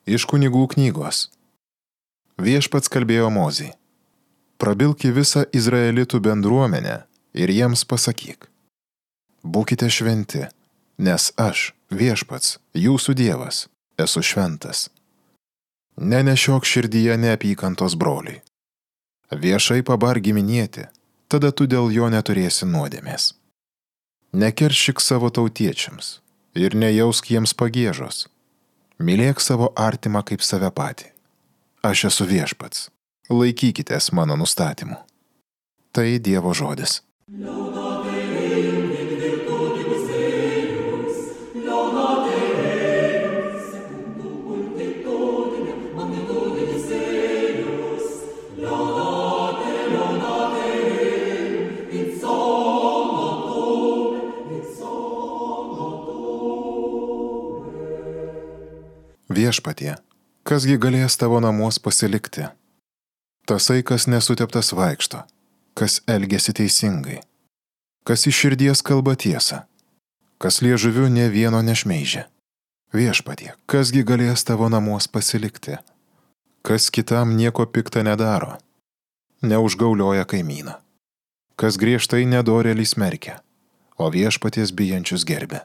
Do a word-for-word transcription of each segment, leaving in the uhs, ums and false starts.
Iš Kunigų knygos. Viešpats kalbėjo Mozei: prabilk į visą izraelitų bendruomenę ir jiems pasakyk: būkite šventi, nes aš, Viešpats, jūsų Dievas, esu šventas. Nenešiok širdyje neapykantos broliui. Viešai pabark giminėti, tada tu dėl jo neturėsi nuodėmės. Nekeršyk savo tautiečiams ir nejausk jiems pagiežos. Mylėk savo artimą kaip save patį. Aš esu Viešpats. Laikykitės mano nustatymų. Tai Dievo žodis. Viešpatie, kasgi galės tavo namuos pasilikti? Tasai, kas nesuteptas vaikšto, kas elgiasi teisingai, kas iš širdies kalba tiesą, kas liežuviu nė vieno nešmeižia. Viešpatie, kasgi galės tavo namuos pasilikti? Kas kitam nieko pikta nedaro, neužgaulioja kaimyną, kas griežtai nedorėlį smerkia, o Viešpaties bijančius gerbia.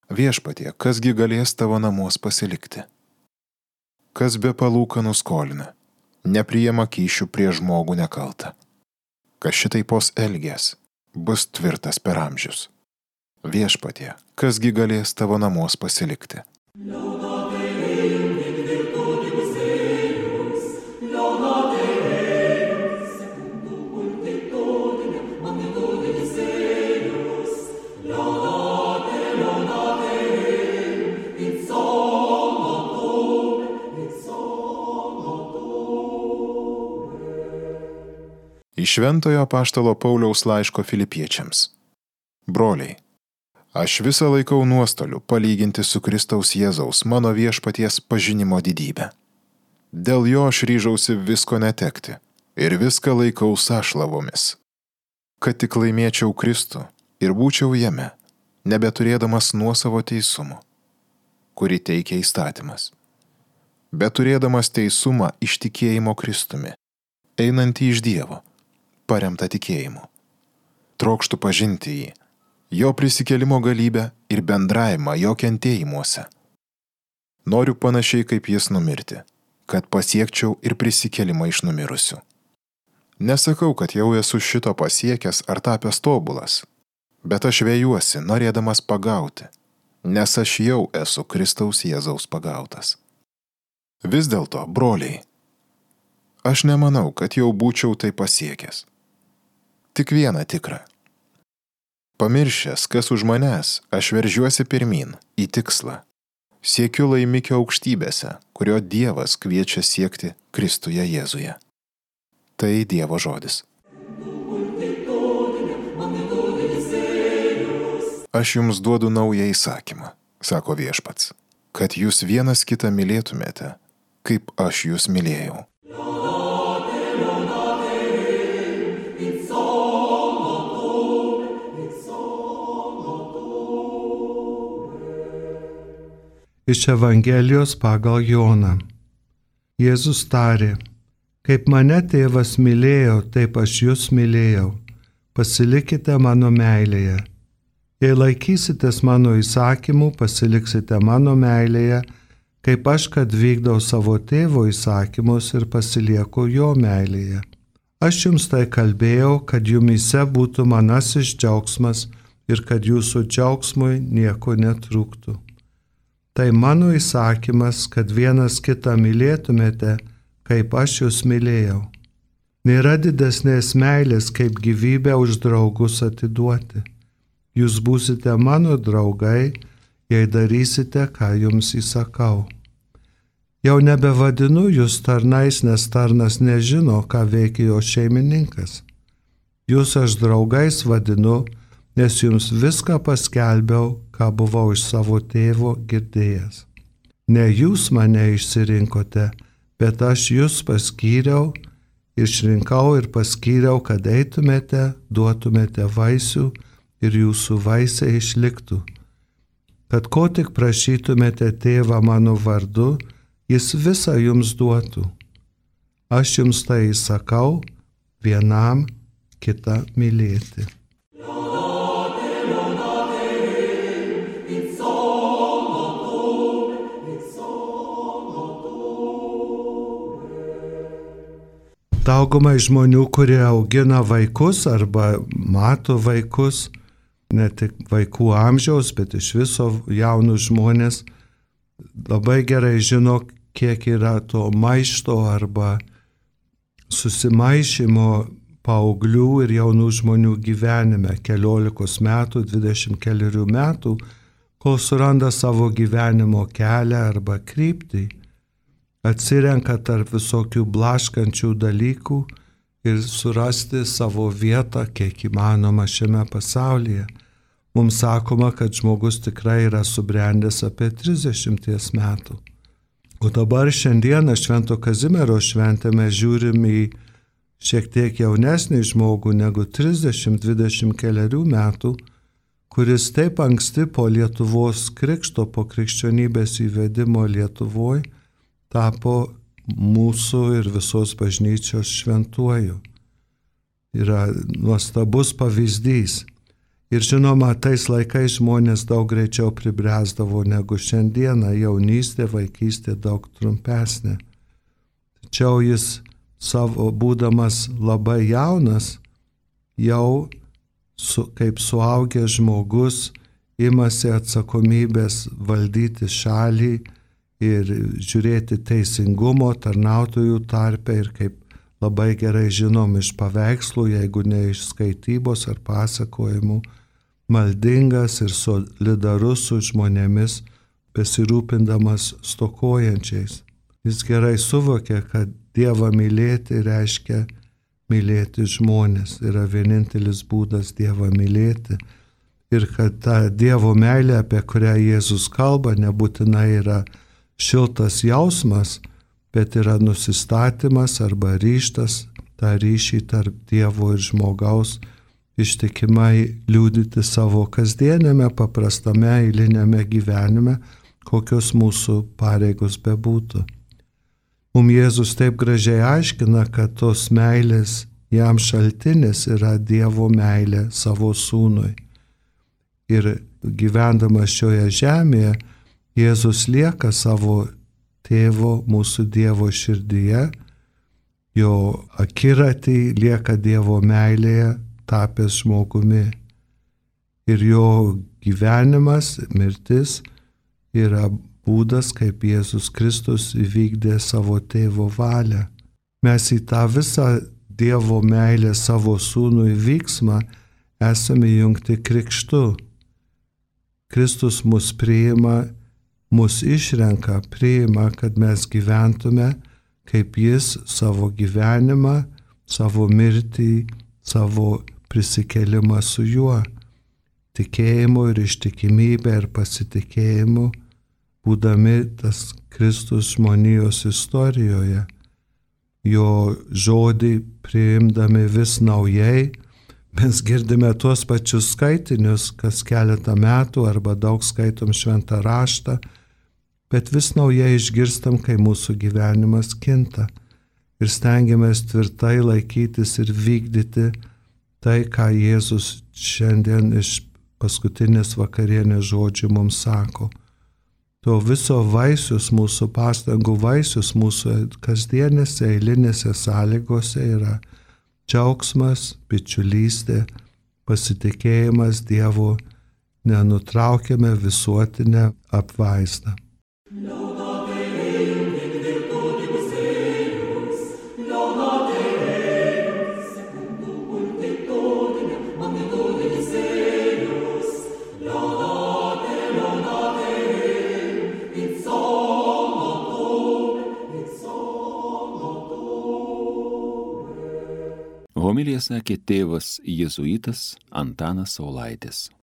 Viešpatie, kasgi galės tavo namuos pasilikti? Kas be palūkanų skolina, nepriima kyšių prie žmogų nekaltą. Kas šitaipos elgės, bus tvirtas per amžius. Viešpatie, kasgi galės tavo namuos pasilikti? Iš Šventojo apaštalo Pauliaus laiško Filipiečiams. Broliai, aš visą laikau nuostoliu palyginti su Kristaus Jėzaus mano Viešpaties pažinimo didybę. Dėl jo aš ryžausi visko netekti ir viską laikau sąšlavomis, kad tik laimėčiau Kristų ir būčiau jame, nebeturėdamas nuosavo teisumo, kurį teikia įstatymas, bet turėdamas teisumą iš tikėjimo Kristumi, einantį iš Dievo, paremta tikėjimu. Trokštų pažinti jį, jo prisikėlimo galybę ir bendravimą jo kentėjimuose. Noriu panašiai kaip jis numirti, kad pasiekčiau ir prisikėlimą iš numirusių. Nesakau, kad jau esu šito pasiekęs ar tapęs tobulas, bet aš vėjuosi, norėdamas pagauti, nes aš jau esu Kristaus Jėzaus pagautas. Vis dėlto, broliai, aš nemanau, kad jau būčiau tai pasiekęs. Tik viena tikra. Pamiršęs, kas už manęs, aš veržiuosi pirmin, į tikslą. Siekiu laimikio aukštybėse, kurio Dievas kviečia siekti Kristuje Jėzuje. Tai Dievo žodis. Aš jums duodu naują įsakymą, sako Viešpats, kad jūs vienas kitą mylėtumėte, kaip aš jūs mylėjau. Iš Evangelijos pagal Joną. Jėzus tarė: kaip mane tėvas mylėjo, taip aš jūs mylėjau. Pasilikite mano meilėje. Jei laikysitės mano įsakymų, pasiliksite mano meilėje, kaip aš, kad vykdau savo tėvo įsakymus ir pasilieku jo meilėje. Aš jums tai kalbėjau, kad jumyse būtų manasis džiaugsmas ir kad jūsų džiaugsmui nieko netrūktų. Tai mano įsakymas, kad vienas kitą mylėtumėte, kaip aš jūs mylėjau. Nėra didesnės meilės, kaip gyvybę už draugus atiduoti. Jūs būsite mano draugai, jei darysite, ką jums įsakau. Jau nebevadinu jūs tarnais, nes tarnas nežino, ką veikia jo šeimininkas. Jūs aš draugais vadinu, nes jums viską paskelbiau, ką buvau iš savo tėvo girdėjęs. Ne jūs mane išsirinkote, bet aš jūs paskyriau, išrinkau ir paskyriau, kad eitumėte, duotumėte vaisių ir jūsų vaisiai išliktų. Kad ko tik prašytumėte tėvą mano vardu, jis visą jums duotų. Aš jums tai įsakau, vienam kitą mylėti. Daugumai žmonių, kurie augina vaikus arba mato vaikus, ne tik vaikų amžiaus, bet iš viso jaunus žmonės, labai gerai žino, kiek yra to maišto arba susimaišymo paauglių ir jaunų žmonių gyvenime, keliolikos metų, dvidešimt kelerių metų, kol suranda savo gyvenimo kelią arba kryptį, atsirenka tarp visokių blaškančių dalykų ir surasti savo vietą, kiek įmanoma šiame pasaulyje. Mums sakoma, kad žmogus tikrai yra subrendęs apie trisdešimties metų. O dabar šiandieną Švento Kazimiero šventę mes žiūrim į šiek tiek jaunesnį žmogų negu trisdešimt dvidešimt kelerių metų, kuris taip anksti po Lietuvos krikšto, po krikščionybės įvedimo Lietuvoje, tapo mūsų ir visos bažnyčios šventuoju. Yra nuostabus pavyzdys. Ir žinoma, tais laikais žmonės daug greičiau pribręsdavo negu šiandieną, jaunystė, vaikystė daug trumpesnė. Tačiau jis savo būdamas labai jaunas, jau su, kaip suaugęs žmogus imasi atsakomybės valdyti šalį ir žiūrėti teisingumo tarnautojų tarpe ir kaip labai gerai žinom iš paveikslų, jeigu ne iš skaitybos ar pasakojimų, maldingas ir solidarus su žmonėmis, besirūpindamas stokojančiais. Jis gerai suvokė, kad Dievą mylėti reiškia mylėti žmonės, yra vienintelis būdas Dievą mylėti ir kad ta Dievo meilė, apie kurią Jėzus kalba, nebūtinai yra šiltas jausmas, bet yra nusistatymas arba ryžtas tą ryšį tarp Dievo ir žmogaus ištikimai liudyti savo kasdienėme, paprastame, eilinėme gyvenime, kokios mūsų pareigos bebūtų. Mums Jėzus taip gražiai aiškina, kad tos meilės jam šaltinis yra Dievo meilė savo sūnui. Ir gyvendamas šioje žemėje, Jėzus lieka savo tėvo, mūsų Dievo širdyje, jo akiratį lieka Dievo meilėje, tapęs žmogumi. Ir jo gyvenimas, mirtis yra būdas, kaip Jėzus Kristus įvykdė savo tėvo valią. Mes į tą visą Dievo meilę savo sūnui vyksmą esame jungti krikštu. Kristus mus priima, mus išrenka, priima, kad mes gyventume, kaip jis savo gyvenimą, savo mirtį, savo prisikelimą su juo, tikėjimu ir ištikimybė ir pasitikėjimu, būdami tas Kristus žmonijos istorijoje, jo žodį priimdami vis naujai. Mes girdime tuos pačius skaitinius, kas keletą metų arba daug skaitom šventą raštą, bet vis naujai išgirstam, kai mūsų gyvenimas kinta ir stengiamės tvirtai laikytis ir vykdyti tai, ką Jėzus šiandien iš paskutinės vakarienės žodžių mums sako. To viso vaisius, mūsų pastangų vaisius, mūsų kasdienėse eilinėse sąlygose yra džiaugsmas, bičiulystė, pasitikėjimas Dievu, nenutraukiame visuotinę apvaizdą. Homiliją sakė tėvas jėzuitas Antanas Saulaitis.